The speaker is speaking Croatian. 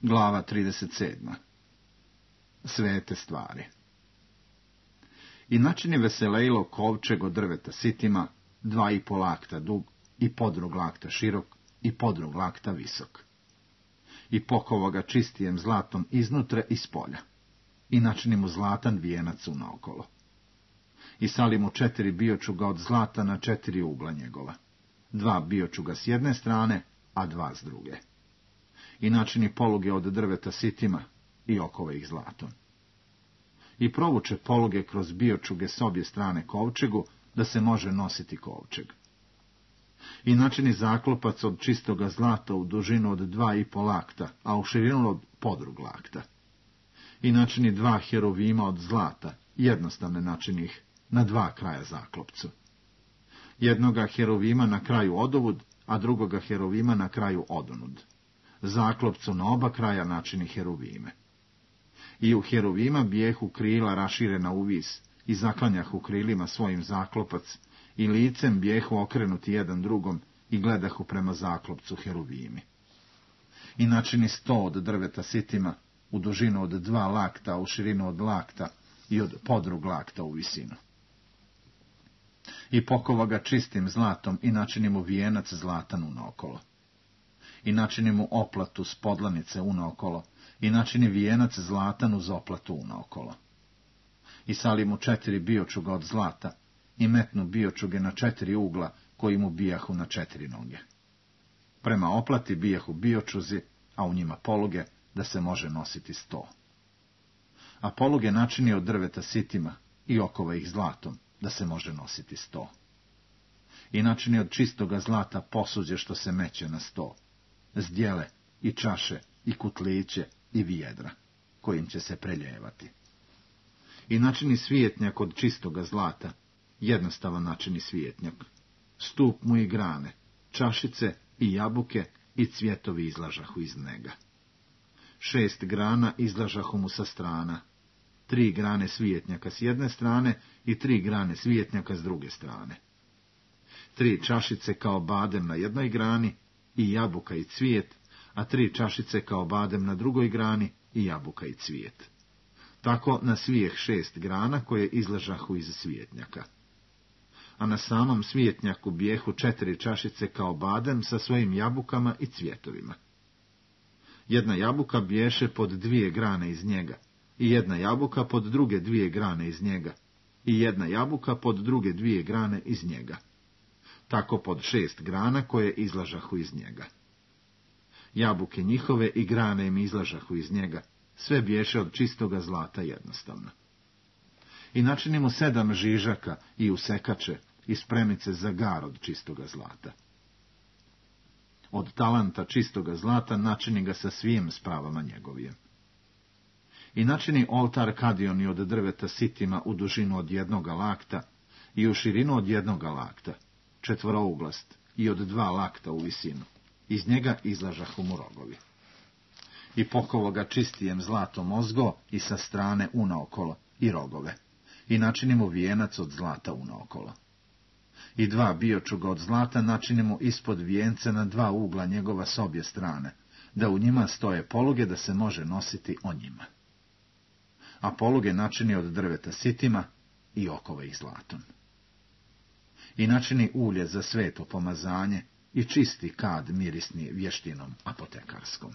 Glava 37. Svete stvari. I načini veselejlo kovčeg od drveta sitima, 2,5 lakta dug i podrug lakta širok i podrug lakta visok. I pokovo ga čistijem zlatom iznutra i spolja. I načini mu zlatan vijenac unaokolo. I sali mu 4 biočuga od zlata na 4 ugla njegova. 2 biočuga s jedne strane, a 2 s druge. I načini poluge od drveta sitima i okove ih zlatom. I provuče poluge kroz biočuge s obje strane kovčegu, da se može nositi kovčeg. I načini zaklopac od čistoga zlata u dužinu od 2,5 lakta, a u širinu od podrug lakta. I načini 2 heruvima od zlata, jednostavne načini ih, na 2 kraja zaklopcu. Jednoga heruvima na kraju odovud, a drugoga heruvima na kraju odonud. Zaklopcu na oba kraja načini heruvime. I u heruvima bijehu krila raširena u vis, i zaklanjahu krilima svojim zaklopac, i licem bijehu okrenuti jedan drugom, i gledahu prema zaklopcu heruvimi. I načini 100 od drveta sitima, u dužinu od 2 lakta, a u širinu od lakta, i od podrug lakta u visinu. I pokova ga čistim zlatom, i načini mu vijenac zlatan unaokolo. I načini mu oplatu s podlanice unaokolo, i načini vijenac zlatan uz oplatu unaokolo. I sali mu 4 biočuga od zlata, i metnu biočuge na 4 ugla, koji mu bijahu na 4 noge. Prema oplati bijahu biočuzi, a u njima poluge, da se može nositi 100. A poluge načini od drveta sitima, i okova ih zlatom, da se može nositi 100. I načini od čistoga zlata posuđe što se meće na 100, zdjele, i čaše, i kutliće, i vijedra, kojim će se preljevati. I načini svijetnjak od čistoga zlata, jednostavan načini svijetnjak, stup mu i grane, čašice i jabuke i cvjetovi izlažahu iz njega. 6 grana izlažahu mu sa strana, 3 grane svijetnjaka s jedne strane i 3 grane svijetnjaka s druge strane. 3 čašice kao badem na jednoj grani i jabuka i cvijet, a 3 čašice kao badem na drugoj grani i jabuka i cvijet. Tako na svijeh 6 grana koje izlažahu iz svijetnjaka. A na samom svijetnjaku bijehu 4 čašice kao badem sa svojim jabukama i cvjetovima. Jedna jabuka biješe pod 2 grane iz njega, i jedna jabuka pod druge 2 grane iz njega, i jedna jabuka pod druge 2 grane iz njega. Tako pod 6 grana koje izlažahu iz njega. Jabuke njihove i grane im izlažahu iz njega, sve biješe od čistoga zlata jednostavno. I načini mu 7 žižaka i usekače i spremice za gar od čistoga zlata. Od talanta čistoga zlata načini ga sa svim spravama njegovije. I načini oltar kadioni od drveta sitima u dužinu od 1 lakta i u širinu od 1 lakta, 4-uglast i od 2 lakta u visinu. Iz njega izlažahu mu rogovi. I pokovo ga čistijem zlatom ozgo i sa strane unaokolo i rogove. I načini mu vijenac od zlata unaokolo. I 2 biočuga od zlata načini mu ispod vijenca na 2 ugla njegova s obje strane, da u njima stoje poluge da se može nositi o njima. A poluge načini od drveta sitima i okove ih zlatom. I načini ulje za sveto pomazanje i čisti kad mirisni vještinom apotekarskom.